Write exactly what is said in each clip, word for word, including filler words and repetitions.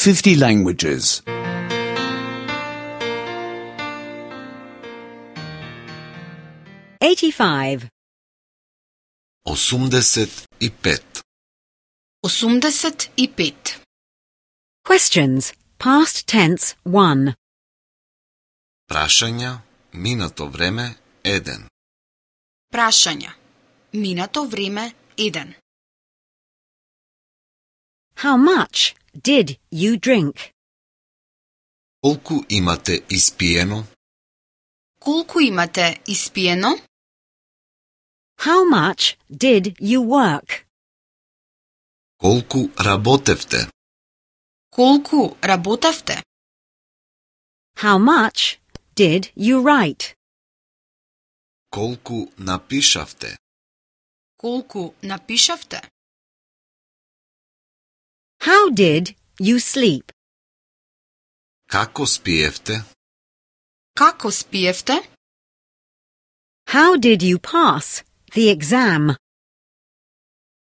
fifty languages. eighty-five. осумдесет и пет. осумдесет и пет. Questions. Past tense one. Прашања, минато време еден. Прашања. Минато време еден. How much did you drink? Колку имате испиено? Колку имате испиено? How much did you work? Колку работевте? Колку работевте? How much did you write? Колку напишавте? Колку напишавте? How did you sleep? Како спиевте? Како спиевте? How did you pass the exam?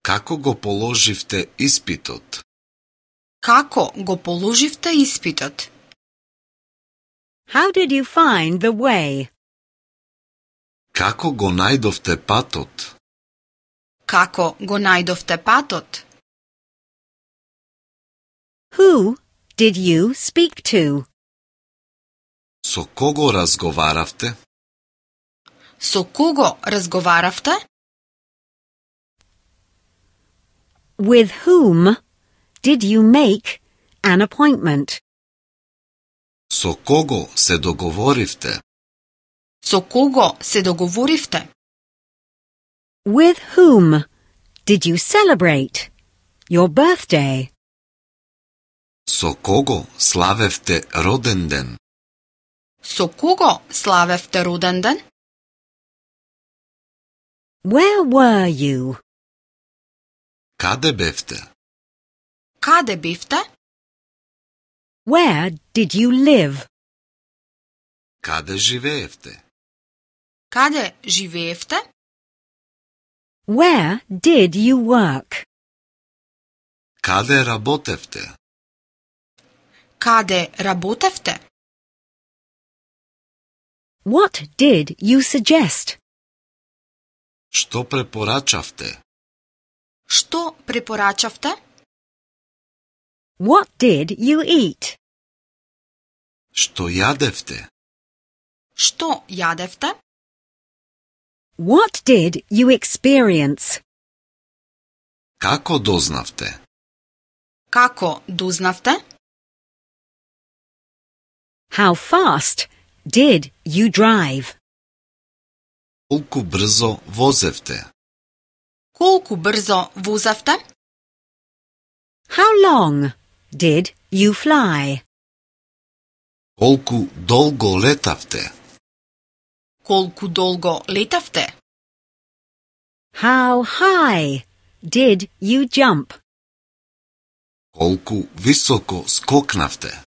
Како го положивте испитот? Како го положивте испитот? How did you find the way? Како го најдовте патот? Како го најдовте патот? Who did you speak to? Со кого разговаравте? Со кого разговаравте? With whom did you make an appointment? Со кого се договоривте? Со кого се договоривте? With whom did you celebrate your birthday? Со кого славевте роден ден? Со кого славевте роден ден? Where were you? Каде бевте? Каде бевте? Where did you live? Каде живеевте? Каде живеевте? Where did you work? Каде работевте? Каде работевте? What did you suggest? Што препорачавте? Што препорачавте? What did you eat? Што јадевте? Што јадевте? What did you experience? Како дознавте? Како дознавте? How fast did you drive? Колку брзо возевте? Колку брзо возевте? How long did you fly? Колку долго летавте? Колку долго летавте? How high did you jump? Колку високо скокнавте?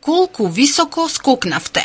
Колку високо скокнавте?